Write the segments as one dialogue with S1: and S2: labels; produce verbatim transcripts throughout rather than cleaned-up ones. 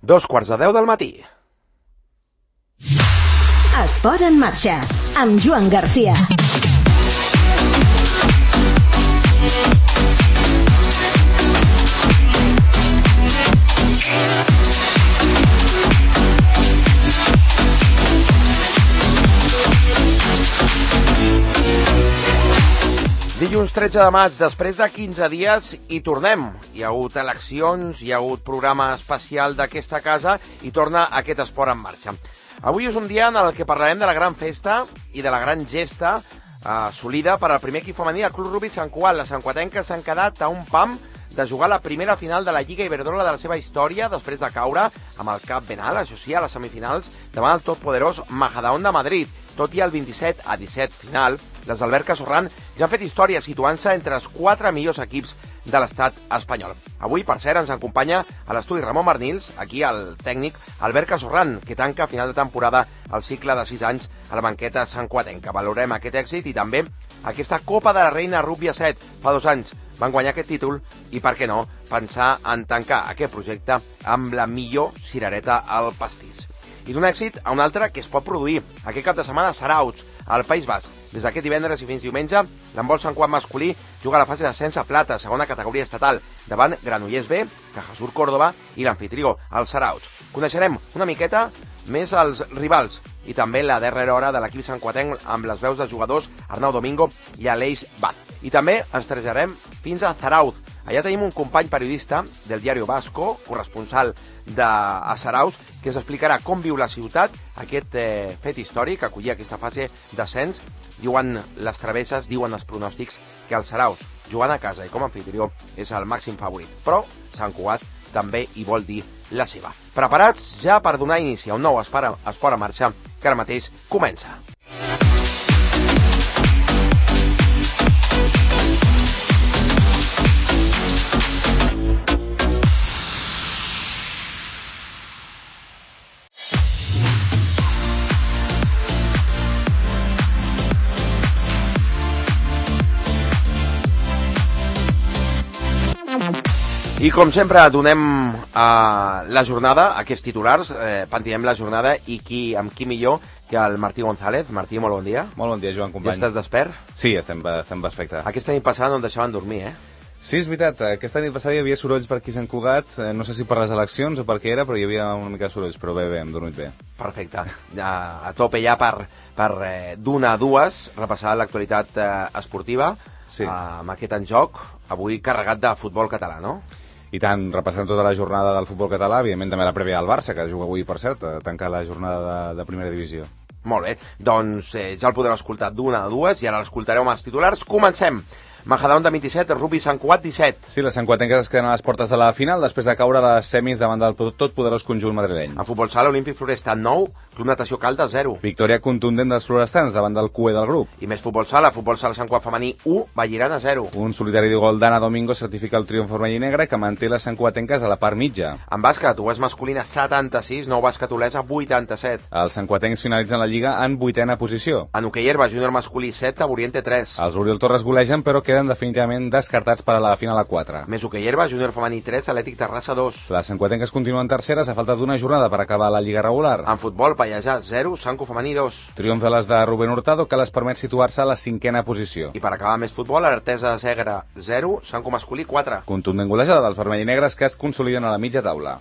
S1: Dos quarts de deu del matí.
S2: Esport en marxa, amb Joan Garcia.
S1: Dilluns tretze de maig, després de quinze dies, hi tornem. Hi ha hagut eleccions, hi ha hagut programa especial d'aquesta casa i torna aquest esport en marxa. Avui és un dia en el que parlarem de la gran festa i de la gran gesta eh, assolida per al primer equip femení del Club Rugby Sant Cugat. Les santcuatenques s'han quedat a un pam de jugar la primera final de la Lliga Iberdrola de la seva història després de caure amb el cap ben alt, això sí, a les semifinals davant el totpoderós Majadahonda de Madrid. Tot i el vint-i-set a disset final, les d'Albert Sorran ja han fet història situant-se entre els quatre millors equips de l'estat espanyol. Avui, per cert, ens acompanya a l'estudi Ramon Barnils, aquí el tècnic Albert Sorran, que tanca a final de temporada el cicle de sis anys a la banqueta santcuatenca. Valorem aquest èxit i també aquesta Copa de la Reina Rugby a set. Fa dos anys van guanyar aquest títol i, per què no, pensar en tancar aquest projecte amb la millor cirereta al pastís. I d'un èxit a un altre que es pot produir aquest cap de setmana a Sarauts, al País Basc. Des d'aquest divendres i fins diumenge, l'handbol Sant Cugat masculí juga a la fase d'ascens a plata, segona categoria estatal, davant Granollers B, Cajasur Córdoba i l'anfitrió, el Sarauts. Coneixerem una miqueta més els rivals i també la darrera hora de l'equip santcuatenc amb les veus dels jugadors Arnau Domingo i Aleix Bat. I també ens traslladarem fins a Zarauz. Allà tenim un company periodista del Diario Vasco, corresponsal de Zarauz, que ens explicarà com viu la ciutat aquest eh, fet històric, acollir aquesta fase d'ascens. Diuen les travesses, diuen els pronòstics, que el Zarauz, jugant a casa i com a anfitrió, és el màxim favorit. Però Sant Cugat també hi vol dir la seva. Preparats ja per donar inici a un nou esport en marxa que ara mateix comença. I com sempre donem uh, la jornada, aquests titulars, eh, pentinem la jornada i qui, amb qui millor que el Martí González. Martí, molt bon dia.
S3: Molt bon dia, Joan, company.
S1: Ja estàs despert?
S3: Sí, estem, estem perfecte.
S1: Aquesta nit passada no en deixaven dormir, eh?
S3: Sí, és veritat, aquesta nit passada hi havia sorolls per aquí a Sant Cugat, no sé si per les eleccions o per què era, però hi havia una mica de sorolls, però bé, bé, hem dormit bé.
S1: Perfecte, a, a tope ja per, per eh, d'una a dues, repassar l'actualitat eh, esportiva,
S3: sí.
S1: eh, amb aquest en joc, avui carregat de futbol català, no?
S3: I tant, repassant tota la jornada del futbol català, evidentment també la prèvia del Barça, que juga avui, per cert, a tancar la jornada de, de primera divisió.
S1: Molt bé, doncs eh, ja el podreu escoltar d'una a dues i ara l'escoltareu amb els titulars. Comencem! Majadahonda vint-i-set, Rugby Sant Cugat disset.
S3: Sí, les santcuatenques es queden a les portes de la final després de caure a les semis davant del totpoderós conjunt madrileny.
S1: A futbol sala, Olímpic Floresta nou, Club Natació Caldes zero.
S3: Victòria contundent dels florestans davant del Q E del grup.
S1: I més futbol sala, futbol sala Sant Cugat femení u, Vallirana zero.
S3: Un solitari de gol d'Anna Domingo certifica el triomf vermell i negre que manté les santcuatenques a la part mitja.
S1: En bàsquet, Oest masculina setanta-sis, Nou bàsquet Olesa vuitanta-set.
S3: Els santcuatencs finalitzen la lliga en vuitena posició.
S1: En hoquei herba, júnior masculí set, Oriente tres.
S3: Els Oriol Torres golegen però queden definitivament descartats per a la final a quatre.
S1: Més hoquei herba, júnior femení tres, Atlètic Terrassa dos.
S3: Les santcuatenques continuen terceres a falta d'una jornada per acabar la lliga regular.
S1: En futbol, Pallejà zero, Sanco femení dos.
S3: Triomf de les de Rubén Hurtado que les permet situar-se a la cinquena posició.
S1: I per acabar més futbol, Artesa de Segre zero, Sanco masculí quatre.
S3: Contundent golejada dels vermell i negres que es consoliden a la mitja taula.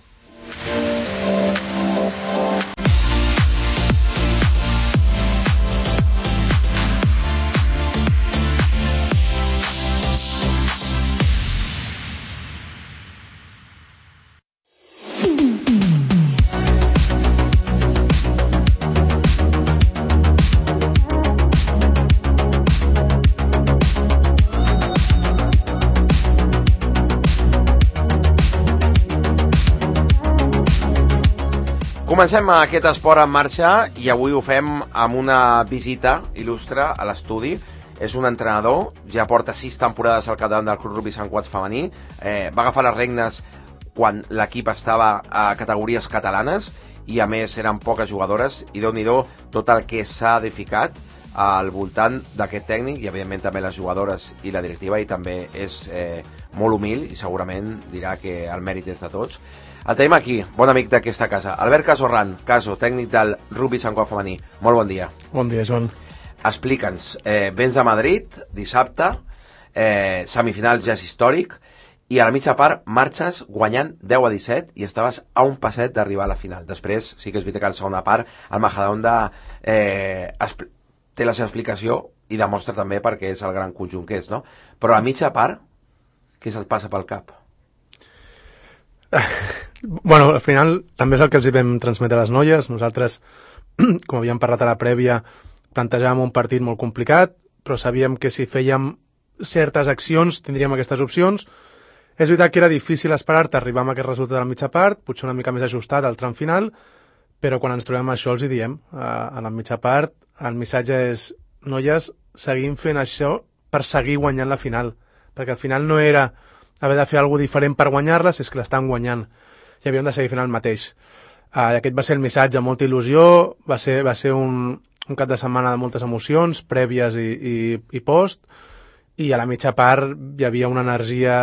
S1: Comencem aquest esport en marxa i avui ho fem amb una visita il·lustre a l'estudi. És un entrenador, ja porta sis temporades al capdavant del Club Rugby Sant Cugat femení, eh, va agafar les regnes quan l'equip estava a categories catalanes i a més eren poques jugadores i déu-n'hi-do tot el que s'ha edificat al voltant d'aquest tècnic i evidentment també les jugadores i la directiva, i també és eh, molt humil i segurament dirà que el mèrit és de tots. El tenim aquí, bon amic d'aquesta casa. Albert Casorran, Caso, tècnic del rugby Sant Cugat femení. Molt bon dia.
S4: Bon dia, Joan.
S1: Explica'ns, eh, vens de Madrid, dissabte, eh, semifinal ja és històric, i a la mitja part marxes guanyant deu a disset i estaves a un passet d'arribar a la final. Després, sí que és veritat que a la segona part, el Majadahonda eh, té la seva explicació i demostra també perquè és el gran conjunt que és, no? Però a la mitja part, què se't passa pel cap?
S4: Bueno, al final també és el que els hi vam transmetre a les noies. Nosaltres, com havíem parlat a la prèvia, plantejàvem un partit molt complicat, però sabíem que si fèiem certes accions tindríem aquestes opcions. És veritat que era difícil esperar-te arribar amb aquest resultat a la mitja part, potser una mica més ajustat al tram final, però quan ens trobem això els hi diem. A la mitja part el missatge és: noies, seguim fent això per seguir guanyant la final, perquè al final no era haver de fer alguna cosa diferent per guanyar-les, és que l'estan guanyant i havíem de seguir fent el mateix. Uh, aquest va ser el missatge, molta il·lusió, va ser, va ser un, un cap de setmana de moltes emocions, prèvies i, i, i post, i a la mitja part hi havia una energia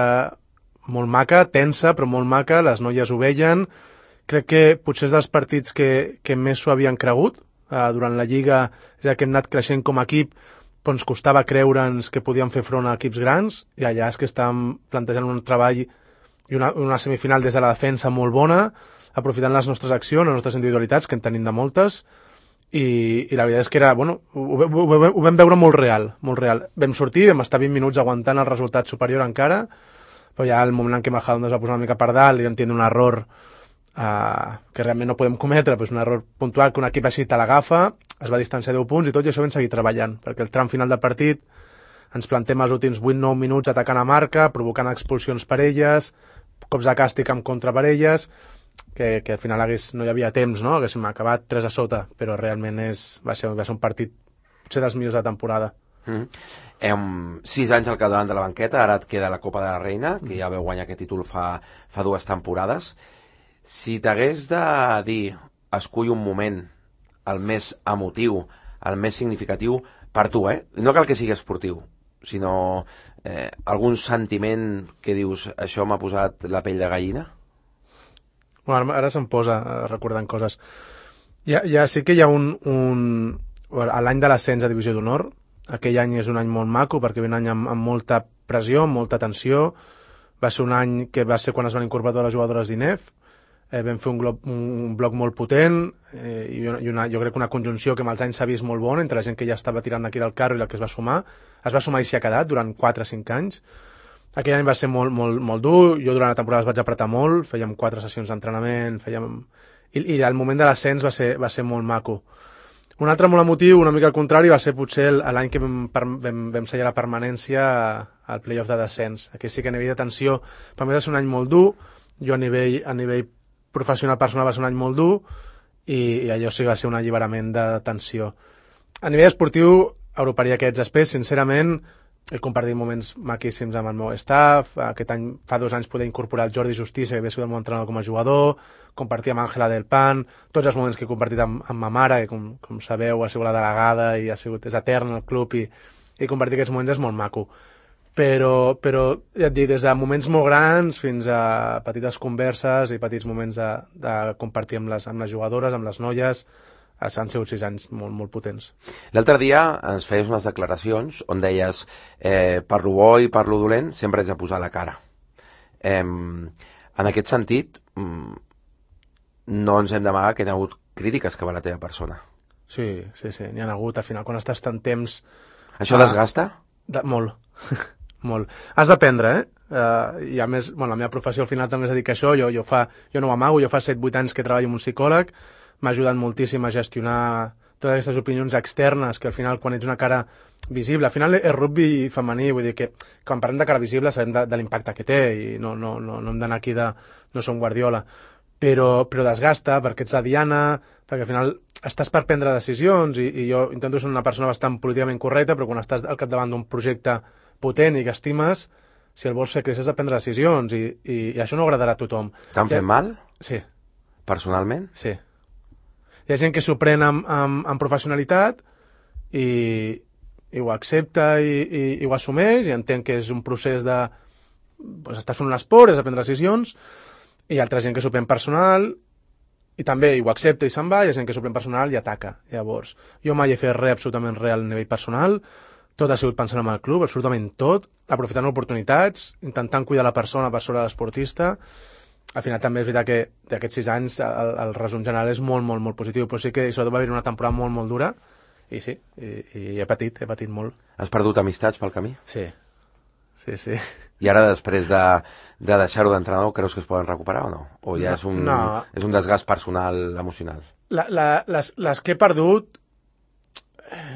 S4: molt maca, tensa, però molt maca, les noies ho veien. Crec que potser és dels partits que, que més s'ho havien cregut. Uh, durant la Lliga, ja que hem anat creixent com a equip, però ens costava creure'ns que podíem fer front a equips grans, i allà és que estàvem plantejant un treball i una, una semifinal des de la defensa molt bona, aprofitant les nostres accions, les nostres individualitats, que en tenim de moltes, i, i la veritat és que era, bueno, ho, ho, ho, ho vam veure molt real, molt real. Vam sortir, vam estar vint minuts aguantant el resultat superior encara, però ja el moment en què Majadahonda es va posar una mica per dalt i vam tenir un error Uh, que realment no podem cometre, però és un error puntual que un equip així te l'agafa, es va distanciar deu punts i tot, i això vam seguir treballant, perquè el tram final del partit ens plantem els últims vuit nou minuts atacant a marca, provocant expulsions per elles, cops de càstig en contra per elles, que, que al final hagués, no hi havia temps, no? Haguéssim acabat tres a sota, però realment és, va, ser, va ser un partit potser dels millors de temporada.
S1: Mm. Em, sis anys al capdavant de la banqueta, ara et queda la Copa de la Reina, que ja veu guanyar aquest títol fa, fa dues temporades. Si t'hagués de dir, escull un moment, el més emotiu, el més significatiu, per tu, eh? No cal que sigui esportiu, sinó eh, algun sentiment que dius, això m'ha posat la pell de gallina?
S4: Bueno, ara se'm posa recordant coses. Ja, ja sí que hi ha un... un... A l'any de l'ascens a Divisió d'Honor, aquell any és un any molt maco, perquè ve un any amb, amb molta pressió, amb molta tensió. Va ser un any que va ser quan es van incorporar les jugadores d'I N E F. Eh, vam fer un, glob, un bloc molt potent eh, i, una, i una, jo crec que una conjunció que amb els anys s'ha vist molt bona entre la gent que ja estava tirant d'aquí del carro i la que es va sumar. Es va sumar i s'hi ha quedat durant quatre o cinc anys. Aquell any va ser molt, molt, molt dur. Jo durant la temporada es vaig apretar molt, fèiem quatre sessions d'entrenament, fèiem... I, i el moment de l'ascens va ser, va ser molt maco. Un altre molt emotiu, una mica al contrari, va ser potser l'any que vam, vam, vam sellar la permanència al playoff de descens. Aquí sí que a nivell de tensió, per mi va ser un any molt dur. Jo a nivell, a nivell professional personal va ser un any molt dur i, i allò sí va ser un alliberament de tensió. A nivell esportiu, agruparia aquests aspectes. Sincerament, he compartit moments maquíssims amb el meu staff. Aquest any, fa dos anys, poder incorporar el Jordi Justícia, que havia sigut el meu entrenador com a jugador, compartir amb Àngela del Pan, tots els moments que he compartit amb, amb ma mare, que com, com sabeu ha sigut la delegada i ha sigut, és eterna al club, i, i compartir aquests moments és molt maco. Però, però ja et dic, des de moments molt grans fins a petites converses i petits moments de, de compartir amb les, amb les jugadores, amb les noies, han sigut sis anys molt, molt potents.
S1: L'altre dia ens feies unes declaracions on deies eh, per lo bo i per lo dolent sempre has de posar la cara. Eh, en aquest sentit, no ens hem d'amagar que hi ha hagut crítiques que va a la teva persona.
S4: Sí, sí, sí, n'hi ha hagut. Al final, quan estàs tant temps...
S1: Això ah, desgasta?
S4: De, molt. Molt. Has d'aprendre, eh? Uh, I a més, bueno, la meva professió al final també es dedica a això. Jo, jo, fa, jo no ho amago, jo fa set vuit anys que treballo amb un psicòleg, m'ha ajudat moltíssim a gestionar totes aquestes opinions externes, que al final, quan ets una cara visible, al final és rugby femení, vull dir que quan parlem de cara visible sabem de, de l'impacte que té, i no, no, no, no hem d'anar aquí de... no som Guardiola, però, però desgasta, perquè ets la diana, perquè al final estàs per prendre decisions, i, i jo intento ser una persona bastant políticament correcta, però quan estàs al capdavant d'un projecte potent i que estimes, si el vols fer créixer has de prendre decisions, i, i, i això no agradarà a tothom.
S1: T'han fet mal?
S4: Sí.
S1: Personalment?
S4: Sí. Hi ha gent que s'ho pren amb, amb, amb professionalitat i, i ho accepta i, i, i ho assumeix, i entén que és un procés de... Pues, estàs fent un esport, és de prendre decisions, hi ha altra gent que s'ho pren personal i també ho accepta i se'n va, i hi ha gent que s'ho pren personal i ataca. Llavors, jo mai he fet res absolutament res al nivell personal, tot ha sigut pensant en el club, absolutament tot, aprofitant oportunitats, intentant cuidar la persona per sobre de l'esportista. Al final també és veritat que d'aquests sis anys el, el resum general és molt, molt, molt positiu, però sí que sobretot va haver una temporada molt, molt dura, i sí, i, i he patit, he patit molt.
S1: Has perdut amistats pel camí?
S4: Sí, sí, sí.
S1: I ara, després de, de deixar-ho d'entrenador, creus que es poden recuperar o no? O ja no, és, un,
S4: no.
S1: és un desgast personal, emocional?
S4: La, la, les, les que he perdut,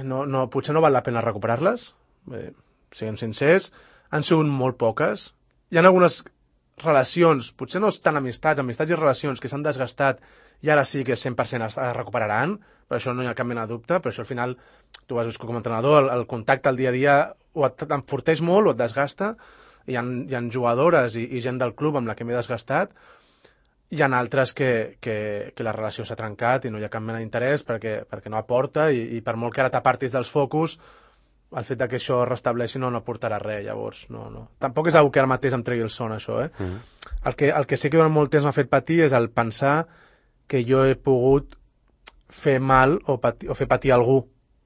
S4: no, no, potser no val la pena recuperar-les, eh, siguem sincers, han sigut molt poques. Hi ha algunes relacions, potser no tan amistats, amistats i relacions que s'han desgastat i ara sí que cent per cent es recuperaran, per això no hi ha cap mena de dubte, però això al final, tu has vist com a entrenador, el, el contacte al dia a dia o et enforteix molt o et desgasta. Hi ha, hi ha jugadores i, i gent del club amb la que m'he desgastat, hi ha altres que, que, que la relació s'ha trencat i no hi ha cap mena d'interès perquè, perquè no aporta i, i per molt que ara t'apartis dels focus, el fet que això es restableixi no, no aportarà res, llavors no, no. Tampoc és una que ara mateix em tregui el son, això, eh? Mm-hmm. el, que, el que sí que durant molt temps m'ha fet patir és el pensar que jo he pogut fer mal o, patir, o fer patir algú,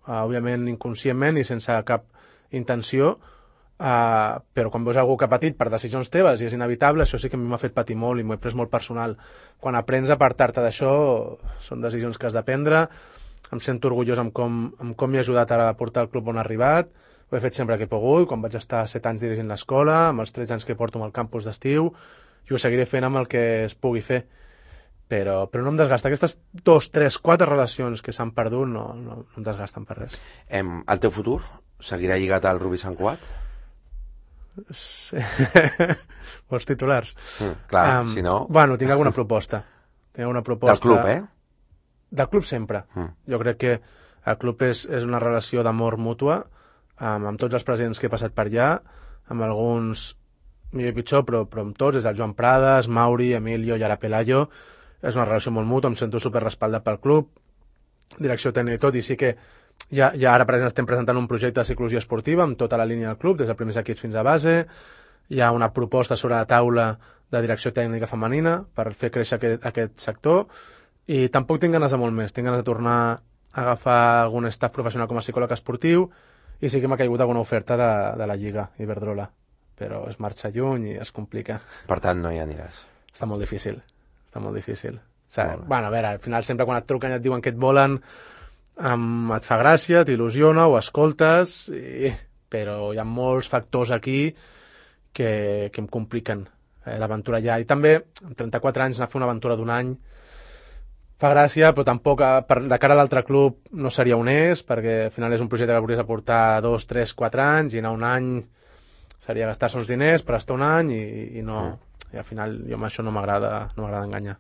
S4: uh, òbviament inconscientment i sense cap intenció, uh, però quan veus algú que ha patit per decisions teves i és inevitable, això sí que a mi m'ha fet patir molt i m'ho he pres molt personal. Quan aprens a apartar-te d'això, són decisions que has de prendre. Em sento orgullós amb com, amb com m'he ajudat a portar el club on ha arribat. Ho he fet sempre que he pogut, quan vaig estar set anys dirigint l'escola, amb els tretze anys que porto amb el campus d'estiu, i ho seguiré fent amb el que es pugui fer. Però, però no em desgasta. Aquestes dos, tres, quatre relacions que s'han perdut no, no, no em desgasten per res.
S1: Em, el teu futur seguirà lligat al Rubí Sant Cugat?
S4: Sí. Vols titulars?
S1: Mm, clar, um, si no...
S4: Bueno, tinc alguna proposta. Tinc alguna proposta...
S1: Del club, eh?
S4: Del club sempre. Mm. Jo crec que el club és, és una relació d'amor mútua, amb, amb tots els presidents que he passat per allà, amb alguns millor i pitjor, però, però amb tots, és el Joan Prades, Mauri, Emilio i ara Pelayo. És una relació molt mútua, em sento super respaldat pel club, direcció tècnica i tot, i sí que ja, ja ara per exemple estem presentant un projecte de psicologia esportiva amb tota la línia del club, des dels primers equips fins a base. Hi ha una proposta sobre la taula de direcció tècnica femenina per fer créixer aquest, aquest sector. I tampoc tinc ganes de molt més, tinc ganes de tornar a agafar algun staff professional com a psicòleg esportiu i sí que m'ha caigut alguna oferta de, de la Lliga Iberdrola, però es marxa lluny i es complica.
S1: Per tant, no hi aniràs.
S4: Està molt difícil, està molt difícil. O sigui, bueno, a veure, al final sempre quan et truquen i et diuen que et volen, um, et fa gràcia, t'il·lusiona, ho escoltes, i... però hi ha molts factors aquí que, que em compliquen eh, l'aventura ja. I també, amb trenta-quatre anys, anar a fer una aventura d'un any fa gràcia, però tampoc per, de cara a l'altre club no seria honest, perquè al final és un projecte que hauries de portar dos, tres, quatre anys, i anar un any seria gastar-se uns diners per estar un any, i, i no, mm. i al final jo amb això no m'agrada no m'agrada enganyar.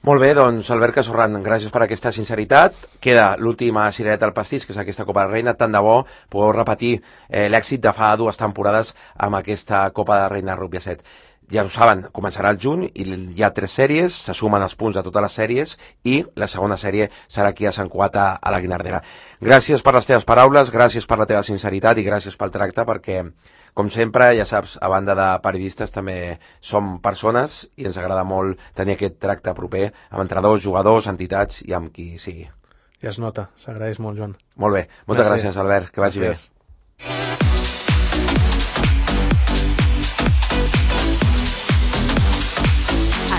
S1: Molt bé, doncs Albert Casorran, gràcies per aquesta sinceritat. Queda l'última cirereta al pastís, que és aquesta Copa de Reina. Tant de bo podeu repetir eh, l'èxit de fa dues temporades amb aquesta Copa de Reina Rugby a set. Ja ho saben, començarà el juny i hi ha tres sèries, se sumen els punts de totes les sèries i la segona sèrie serà aquí a Sant Cugat a, a la Guinardera. Gràcies per les teves paraules, gràcies per la teva sinceritat i gràcies pel tracte, perquè, com sempre, ja saps, a banda de periodistes també som persones i ens agrada molt tenir aquest tracte proper amb entrenadors, jugadors, entitats i amb qui sigui.
S4: Ja es nota, s'agraeix molt, Joan.
S1: Molt bé, moltes gràcies, gràcies Albert, que vagi gràcies. Bé.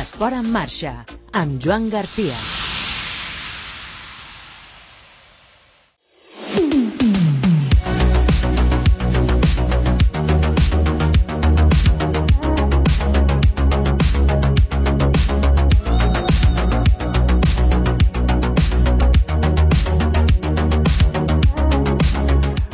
S2: Esport en marxa, amb Joan Garcia.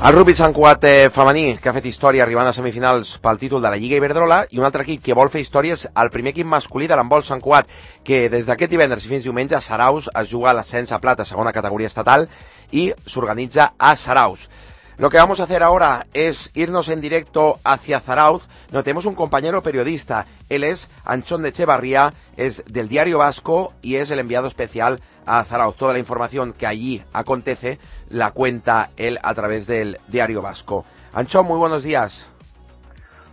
S1: El Rugby Sant Cugat eh, femení, que ha fet història arribant a semifinals pel títol de la Lliga Iberdrola, i un altre equip que vol fer història és el primer equip masculí de l'handbol Sant Cugat, que des d'aquest divendres i fins diumenge a Saraus es juga l'ascens a plata, segona categoria estatal, i s'organitza a Saraus. Lo que vamos a hacer ahora es irnos en directo hacia Zarauz, donde tenemos un compañero periodista. Él es Anchón de Echevarría, es del Diario Vasco y es el enviado especial a Zarauz. Toda la información que allí acontece la cuenta él a través del Diario Vasco. Anchón, muy buenos días.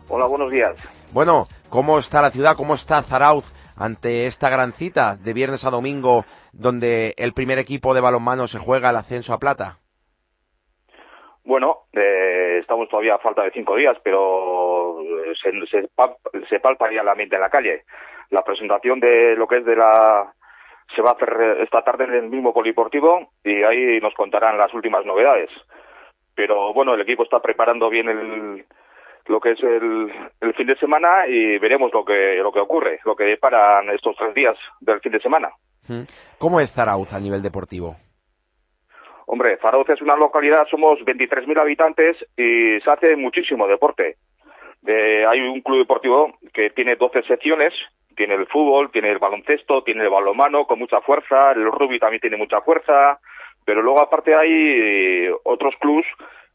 S5: Hola, buenos días.
S1: Bueno, ¿cómo está la ciudad? ¿Cómo está Zarauz ante esta gran cita de viernes a domingo, donde el primer equipo de balonmano se juega el ascenso a plata?
S5: Bueno, eh, estamos todavía a falta de cinco días, pero se, se, se palpa ya el ambiente en la calle. La presentación de lo que es de la... se va a hacer esta tarde en el mismo polideportivo y ahí nos contarán las últimas novedades. Pero bueno, el equipo está preparando bien el, lo que es el, el fin de semana y veremos lo que, lo que ocurre, lo que deparan estos tres días del fin de semana.
S1: ¿Cómo es Zarauz a nivel deportivo?
S5: Hombre, Zarauz es una localidad, somos veintitrés mil habitantes y se hace muchísimo deporte. Eh, hay un club deportivo que tiene doce secciones, tiene el fútbol, tiene el baloncesto, tiene el balonmano con mucha fuerza, el rugby también tiene mucha fuerza, pero luego aparte hay otros clubs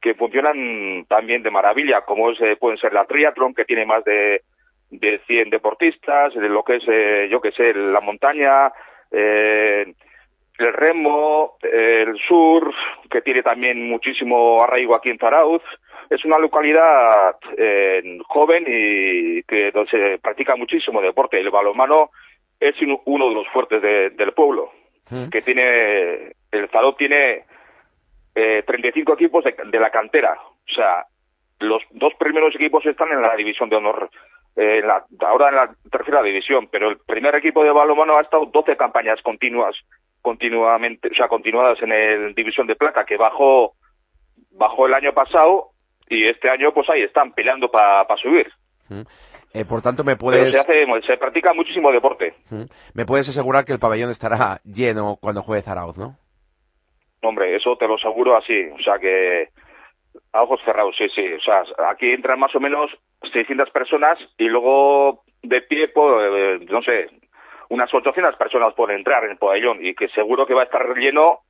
S5: que funcionan también de maravilla, como es, eh, pueden ser la triatlón, que tiene más de, de cien deportistas, de lo que es, eh, yo que sé, la montaña, eh, el remo, el surf, que tiene también muchísimo arraigo aquí en Zarauz. Es una localidad eh, joven y que donde se practica muchísimo deporte. El balonmano es uno de los fuertes de, del pueblo, ¿Mm? que tiene, el Zarauz tiene eh, treinta y cinco equipos de, de la cantera. O sea, los dos primeros equipos están en la división de honor, eh, en la, ahora en la tercera división, pero el primer equipo de balonmano ha estado doce campañas continuas continuamente, o sea, continuadas en el División de Plata, que bajó bajó el año pasado y este año pues ahí están peleando para pa subir.
S1: Mm. Eh, por tanto, me puedes...
S5: Pero se hace, se practica muchísimo deporte.
S1: Mm. Me puedes asegurar que el pabellón estará lleno cuando juegue Zarauz, ¿no?
S5: Hombre, eso te lo aseguro así, o sea que a ojos cerrados, sí, sí, o sea, aquí entran más o menos seiscientas personas y luego de pie, pues, eh, no sé, unas ochocientas personas pueden entrar en el pabellón y que seguro que va a estar lleno,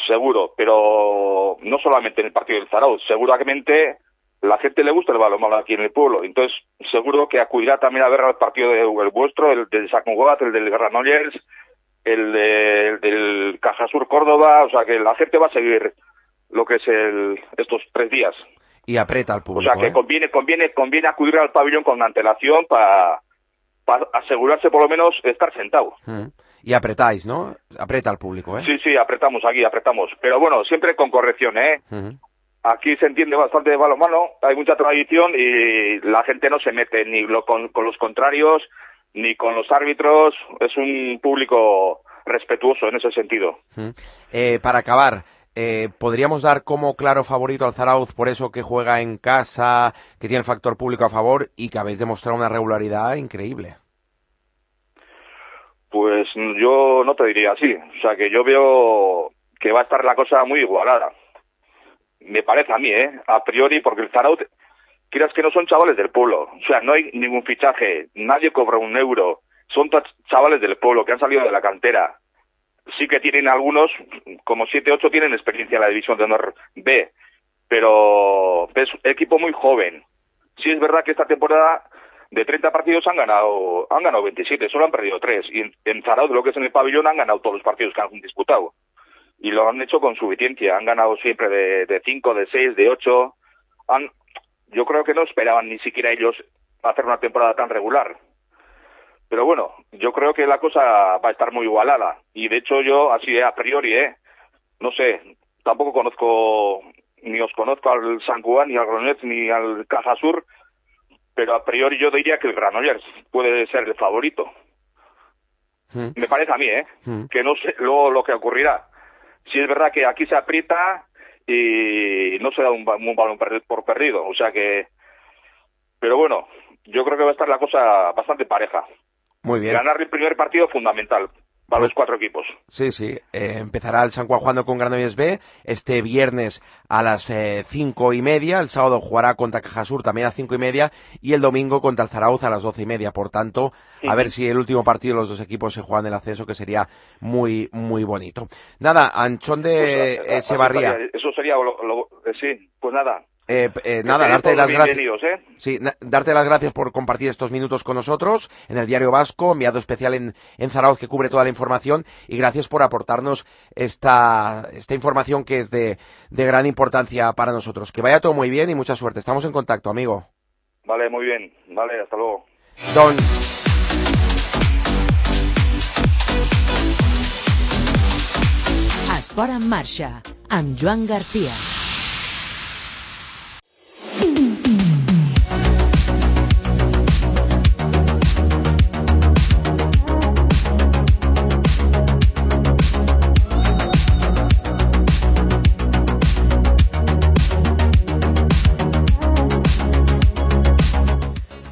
S5: seguro, pero no solamente en el partido del Zarauz, seguramente la gente le gusta el balonmano aquí en el pueblo, entonces seguro que acudirá también a ver el partido de, el vuestro, el del Sant Cugat, el del Granollers, el, de, el del Cajasur Córdoba, o sea que la gente va a seguir lo que es el, estos tres días.
S1: Y aprieta al público.
S5: O sea que
S1: ¿eh?
S5: conviene, conviene, conviene acudir al pabellón con antelación para para asegurarse por lo menos estar sentado.
S1: Mm. Y apretáis, ¿no? Aprieta al público, ¿eh?
S5: Sí, sí, apretamos aquí, apretamos. Pero bueno, siempre con corrección, ¿eh? Mm. Aquí se entiende bastante de balonmano, hay mucha tradición y la gente no se mete ni lo con, con los contrarios, ni con los árbitros. Es un público respetuoso en ese sentido.
S1: Mm. Eh, para acabar, eh, ¿podríamos dar como claro favorito al Zarauz por eso que juega en casa, que tiene el factor público a favor y que habéis demostrado una regularidad increíble?
S5: Pues yo no te diría así. O sea, que yo veo que va a estar la cosa muy igualada. Me parece a mí, ¿eh? A priori, porque el Zarauz, quieras que no, son chavales del pueblo. O sea, no hay ningún fichaje, nadie cobra un euro. Son chavales del pueblo que han salido de la cantera. Sí que tienen algunos, como siete, ocho, tienen experiencia en la División de Honor B, pero es un equipo muy joven. Sí es verdad que esta temporada de treinta partidos han ganado han ganado veintisiete, solo han perdido tres. Y en, en Zarauz, lo que es en el pabellón, han ganado todos los partidos que han disputado. Y lo han hecho con suficiencia. Han ganado siempre de, de cinco, de seis, de ocho. Han, yo creo que no esperaban ni siquiera ellos hacer una temporada tan regular. Pero bueno, yo creo que la cosa va a estar muy igualada. Y de hecho yo, así a priori, ¿eh? No sé, tampoco conozco, ni os conozco al Sant Cugat, ni al Granollers, ni al Cajasur, pero a priori yo diría que el Granollers puede ser el favorito. Mm. Me parece a mí, ¿eh? Mm. Que no sé luego lo que ocurrirá. Si es verdad que aquí se aprieta y no se da un, un balón por perdido, o sea que... Pero bueno, yo creo que va a estar la cosa bastante pareja.
S1: Muy bien.
S5: Ganar el primer partido es fundamental para pues, los cuatro equipos.
S1: Sí, sí. Eh, empezará el Sant Cugat jugando con Granollers B este viernes a las eh, cinco y media. El sábado jugará contra Cajasur también a cinco y media. Y el domingo contra el Zarauz a las doce y media. Por tanto, sí. A ver si el último partido de los dos equipos se juegan el ascenso, que sería muy, muy bonito. Nada, Anchón de pues, Echevarría.
S5: Eso sería, lo, lo, sí, pues nada.
S1: Eh, eh, nada, darte las gracias. ¿eh? Sí, na- darte las gracias por compartir estos minutos con nosotros en el Diario Vasco, enviado especial en, en Zarauz que cubre toda la información, y gracias por aportarnos esta, esta información que es de, de gran importancia para nosotros. Que vaya todo muy bien y mucha suerte. Estamos en contacto, amigo.
S5: Vale, muy bien. Vale, hasta luego.
S1: Don...
S2: Esport en marxa, amb Joan Garcia.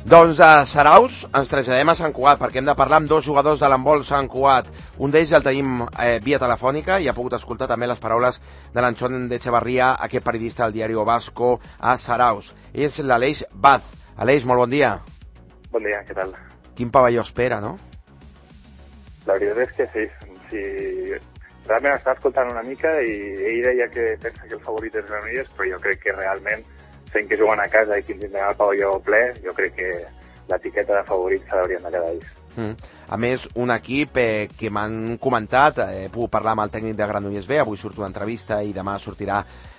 S1: Doncs a Saraus ens traslladem a Sant Cugat perquè hem de parlar amb dos jugadors de l'handbol Sant Cugat. Un d'ells el tenim eh, via telefònica i ha pogut escoltar també les paraules de l'Anchón d'Echevarria, aquest periodista del diari Vasco a Saraus. És l'Aleix Baz. Aleix, molt bon dia.
S6: Bon dia, què tal?
S1: Quin pavelló espera, no?
S6: La veritat és que sí. sí. Realment estava escoltant una mica i ell deia que pensa que el favorit és Granollers, però jo crec que realment fent que juguen a casa i que tindran el pavelló ple, jo crec que l'etiqueta de favorit se l'haurien de quedar ells.
S1: Mm. A més, un equip eh, que m'han comentat, eh, he pogut parlar amb el tècnic de Granollers B, avui surt una entrevista i demà sortirà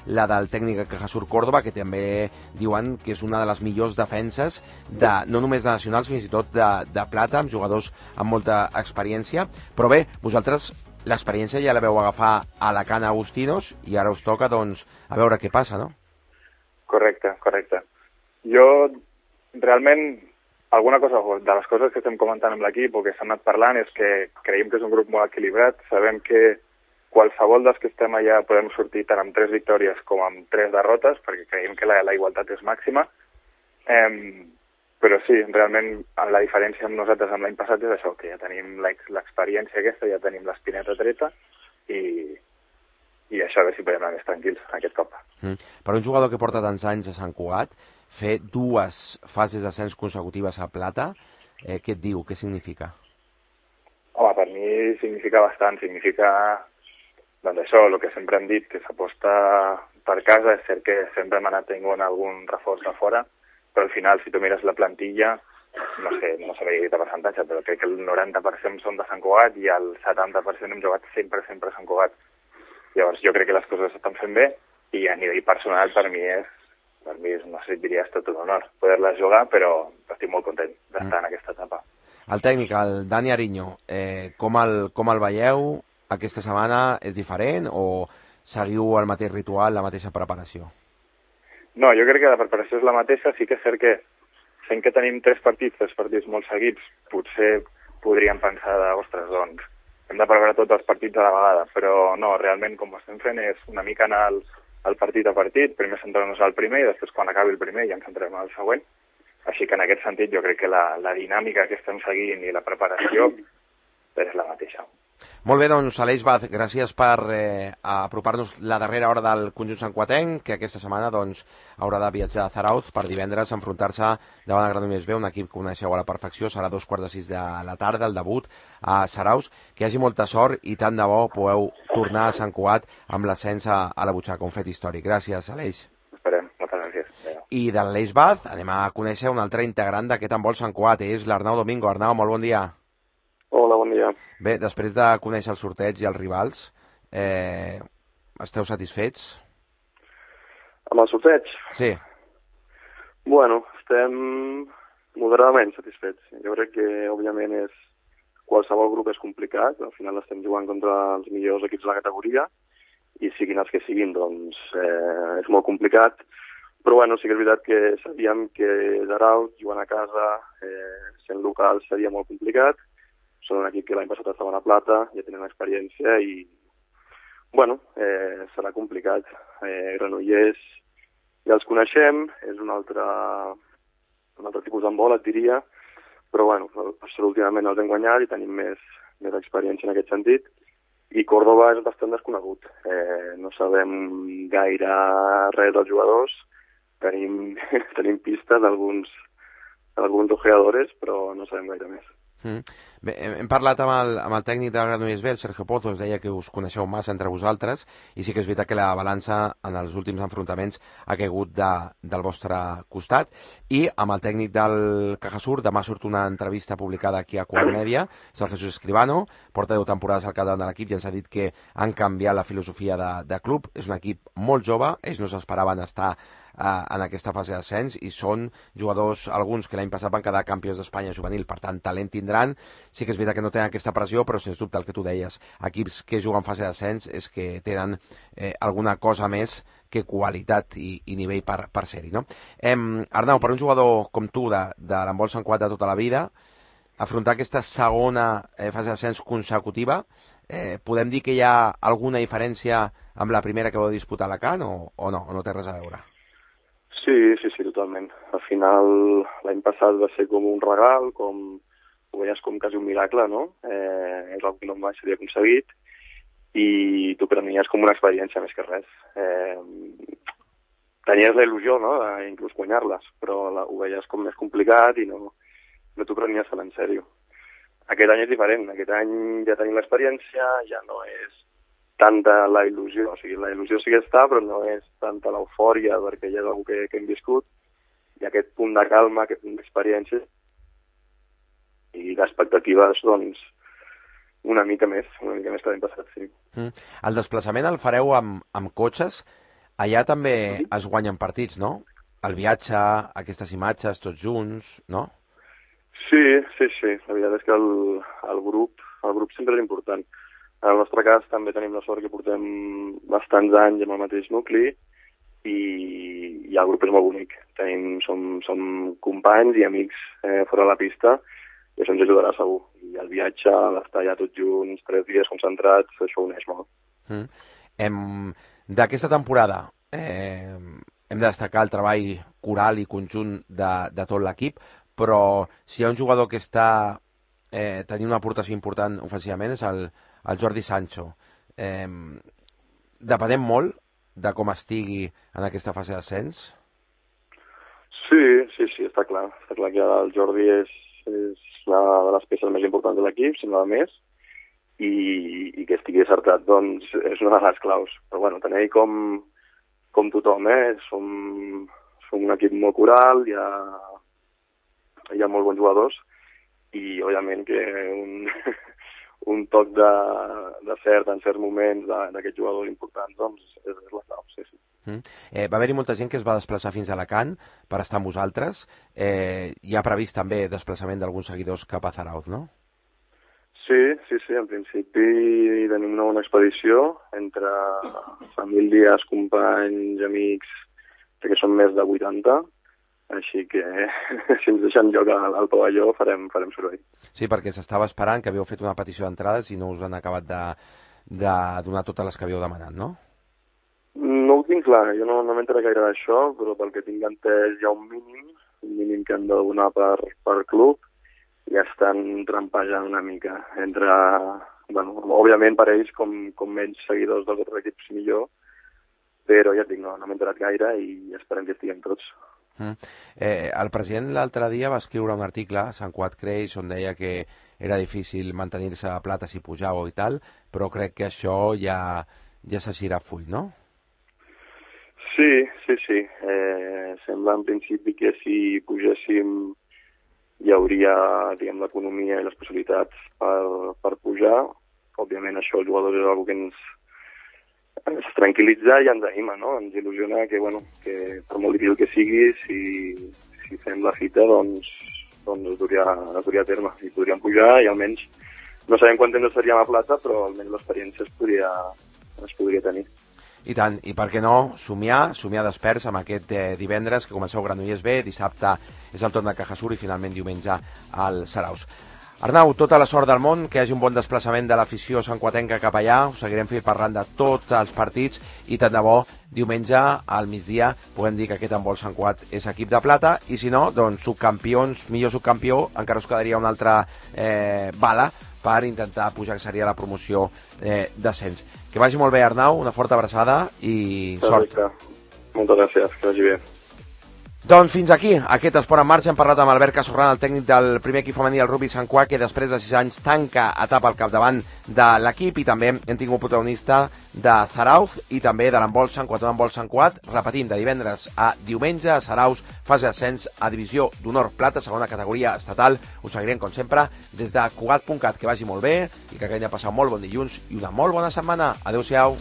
S1: la del tècnic de Cajasur Córdoba, que també diuen que és una de les millors defenses, de, no només de nacionals, fins i tot de, de plata, amb jugadors amb molta experiència. Però bé, vosaltres l'experiència ja la veu agafar a la Cana Agustinos i ara us toca, doncs, a veure què passa, no?
S6: Correcte, correcte. Jo, realment, alguna cosa de les coses que estem comentant amb l'equip o que s'han anat parlant és que creiem que és un grup molt equilibrat. Sabem que qualsevol dels que estem allà podem sortir tant amb tres victòries com amb tres derrotes, perquè creiem que la, la igualtat és màxima. Eh, però sí, realment la diferència amb nosaltres amb l'any passat és això, que ja tenim l'experiència aquesta, ja tenim l'espineta treta i... i això, a veure si podem anar més tranquils aquest cop.
S1: Mm. Per un jugador que porta tants anys a Sant Cugat, fer dues fases d'ascens consecutives a plata, eh, què et diu? Què significa?
S6: Home, per mi significa bastant. Significa, doncs això, el que sempre hem dit, que s'aposta per casa. És cert que sempre hem anat tenint algun reforç de fora, però al final, si tu mires la plantilla, no sé, no sabia dir el percentatge, però crec que el noranta per cent són de Sant Cugat i el setanta per cent hem jugat sempre, sempre a Sant Cugat. Llavors, jo crec que les coses s'estan fent bé i a nivell personal per mi és, per mi és, no sé, diria, és tot un honor poder-les jugar, però estic molt content d'estar mm. en aquesta etapa.
S1: El tècnic, el Dani Ariño, eh, com, el, com el veieu? Aquesta setmana és diferent o seguiu el mateix ritual, la mateixa preparació?
S6: No, jo crec que la preparació és la mateixa. Sí que és cert que fent que tenim tres partits, tres partits molt seguits, potser podríem pensar de, ostres, doncs, hem de preparar tots els partits a la vegada, però no, realment com ho estem fent és una mica anar al, al partit a partit, primer centrar-nos al primer i després quan acabi el primer ja ens centrem al següent. Així que en aquest sentit jo crec que la, la dinàmica que estem seguint i la preparació és la mateixa.
S1: Molt bé, doncs, Aleix Baz, gràcies per eh, apropar-nos la darrera hora del conjunt santcuatenc, que aquesta setmana doncs, haurà de viatjar a Zarauz per divendres enfrontar-se davant el Granollers B, un equip que coneixeu a la perfecció, serà dos quarts de sis de la tarda, el debut a Zarauz. Que hi hagi molta sort i tant de bo podeu tornar a Sant Cugat amb l'ascens a, a la butxaca, un fet històric. Gràcies, Aleix.
S6: Esperem, moltes gràcies. Adéu.
S1: I de l'Aleix Baz anem a conèixer un altre integrant d'aquest handbol Sant Cugat, és l'Arnau Domingo. Arnau, molt bon dia.
S7: Hola, bon dia.
S1: Bé, després de conèixer el sorteig i els rivals, eh, esteu satisfets?
S7: Amb el sorteig?
S1: Sí.
S7: Bueno, estem moderadament satisfets. Jo crec que, òbviament, és qualsevol grup és complicat. Al final estem jugant contra els millors equips de la categoria i siguin els que siguin, doncs eh, és molt complicat. Però bueno, sí que és veritat que sabíem que Zarauz, jugant a casa, eh, sent local, seria molt complicat. Són un equip que l'any passat estava a la plata, ja tenen experiència i, bueno, eh, serà complicat. Eh, Granollers ja els coneixem, és un altre, un altre tipus d'handbol, et diria, però bueno, últimament els hem guanyat i tenim més, més experiència en aquest sentit. I Córdoba és bastant desconegut. Eh, no sabem gaire res dels jugadors, tenim, tenim pistes d'alguns alguns ojeadores, però no sabem gaire més.
S1: Mm. Bé, hem parlat amb el, amb el tècnic de Granollers B, el Sergio Pozo, es deia que us coneixeu massa entre vosaltres i sí que és veritat que la balança en els últims enfrontaments ha caigut de, del vostre costat. I amb el tècnic del Cajasur, demà surt una entrevista publicada aquí a Quart Mèdia, és el Jesús Escribano, porta deu temporades al capdavant de l'equip i ens ha dit que han canviat la filosofia de, de club. És un equip molt jove, ells no s'esperaven estar en aquesta fase d'ascens i són jugadors, alguns que l'any passat van quedar campions d'Espanya juvenil, per tant talent tindran sí que és veritat que no tenen aquesta pressió, però sens dubte el que tu deies, equips que juguen fase d'ascens és que tenen eh, alguna cosa més que qualitat i, i nivell per, per ser-hi, no? Eh, Arnau, per un jugador com tu de, de l'handbol Sant Cugat de tota la vida, afrontar aquesta segona eh, fase d'ascens consecutiva, eh, podem dir que hi ha alguna diferència amb la primera que vau disputar a Alacant o, o no, o no té res a veure?
S7: Sí, sí, sí, totalment. Al final, l'any passat va ser com un regal, com ho veies com quasi un miracle, no? Eh, és el que no mai s'havia aconseguit i tu prenies com una experiència més que res. Eh, tenies la il·lusió, no?, d'inclús guanyar-les, però la, ho veies com més complicat i no, no t'ho prenies tan en sèrio. Aquest any és diferent, aquest any ja tenim l'experiència, ja no és tanta la il·lusió, o sigui, la il·lusió sí que està, però no és tanta l'eufòria perquè ja és una que, que hem viscut, i aquest punt de calma, aquest punt d'experiència, i d'expectatives, doncs, una mica més, una mica més que l'any passat, sí.
S1: Mm. El desplaçament el fareu amb, amb cotxes, allà també mm-hmm. es guanyen partits, no? El viatge, aquestes imatges, tots junts, no?
S7: Sí, sí, sí. La veritat és que el, el grup el grup sempre és important. En el nostre cas també tenim la sort que portem bastants anys amb el mateix nucli i, i el grup és molt bonic. Tenim, som, som companys i amics eh, fora de la pista i això ens ajudarà segur. I el viatge, l'estar allà tots junts, tres dies concentrats, això uneix molt.
S1: Mm. Hem, d'aquesta temporada eh, hem de destacar el treball coral i conjunt de, de tot l'equip, però si hi ha un jugador que està eh, tenint una aportació important ofensivament és el, el Jordi Sancho. Eh, depenem molt de com estigui en aquesta fase d'ascens?
S7: Sí, sí, sí, està clar. Està clar que el Jordi és, és una de les peces més importants de l'equip, si no la més, i, i que estigui acertat, doncs, és una de les claus. Però bueno, tenim com, com tothom, eh? Som, som un equip molt coral, hi ha hi ha molt bons jugadors i, òbviament, que un, un toc de, de cert en certs moments d'aquests jugadors importants, doncs, és, és la clau, sí, sí.
S1: Mm. Eh, va haver-hi molta gent que es va desplaçar fins a Alacant per estar amb vosaltres. Eh, hi ha previst també desplaçament d'alguns seguidors cap a Zarauz, no?
S7: Sí, sí, sí, en principi tenim una bona expedició entre famílies, companys, amics, que són més de vuitanta, així que si ens deixen lloc al, al pavelló farem, farem soroll.
S1: Sí, perquè s'estava esperant que havíeu fet una petició d'entrades i no us han acabat de, de donar totes les que havíeu demanat, no?
S7: No ho tinc clar, jo no, no m'entraré gaire d'això, però pel que tinc entès hi ha un mínim, un mínim que han de donar per, per club, i estan trampejant una mica entre, bueno, òbviament per ells com, com menys seguidors dels altres equips millor, però ja et dic, no, no m'he enterat gaire i esperem que estiguem tots.
S1: Mm. Eh, el president l'altre dia va escriure un article a Sant Cugat Creix on deia que era difícil mantenir-se a plata si pujàveu i tal, però crec que això ja, ja s'eixirà full, no?
S7: Sí, sí, sí. Eh, sembla en principi que si pugéssim hi hauria, diguem, l'economia i les possibilitats per, per pujar. Òbviament això els jugadors és una que ens ens tranquil·litza i ens anima, no? Ens il·lusiona que, bueno, que per molt difícil que sigui, si, si fem la fita, doncs, doncs es duria, es duria a terme. I podríem pujar i almenys, no sabem quant temps estaríem a plata, però almenys l'experiència es podria, es podria tenir.
S1: I tant, i per què no somiar, somiar desperts amb aquest eh, divendres que comenceu Granollers B, dissabte és el torn de Cajasur i finalment diumenge al Zarauz. Arnau, tota la sort del món, que hi hagi un bon desplaçament de l'afició santcuatenca cap allà, us seguirem fent parlant de tots els partits i tant de bo, diumenge al migdia puguem dir que aquest handbol Sant Cugat és equip de plata i si no, doncs subcampions, millor subcampió, encara us quedaria una altra eh, bala per intentar pujar, que seria la promoció eh, d'ascens. Que vagi molt bé, Arnau, una forta abraçada i sort.
S7: Perfecte. Moltes gràcies, que vagi bé.
S1: Doncs fins aquí, aquest Esport en Marxa. Hem parlat amb Albert Casorran, el tècnic del primer equip femení, el Rugby Sant Cugat, que després de sis anys tanca etapa al capdavant de l'equip, i també hem tingut protagonista de Zarauz i també de l'handbol Sant Cugat, un handbol Sant Cugat, repetim, de divendres a diumenge a Zarauz, fase d'ascens a divisió d'honor plata, segona categoria estatal. Us seguirem, com sempre, des de Cugat punt cat. Que vagi molt bé i que hagi passat molt bon dilluns i una molt bona setmana. Adéu-siau.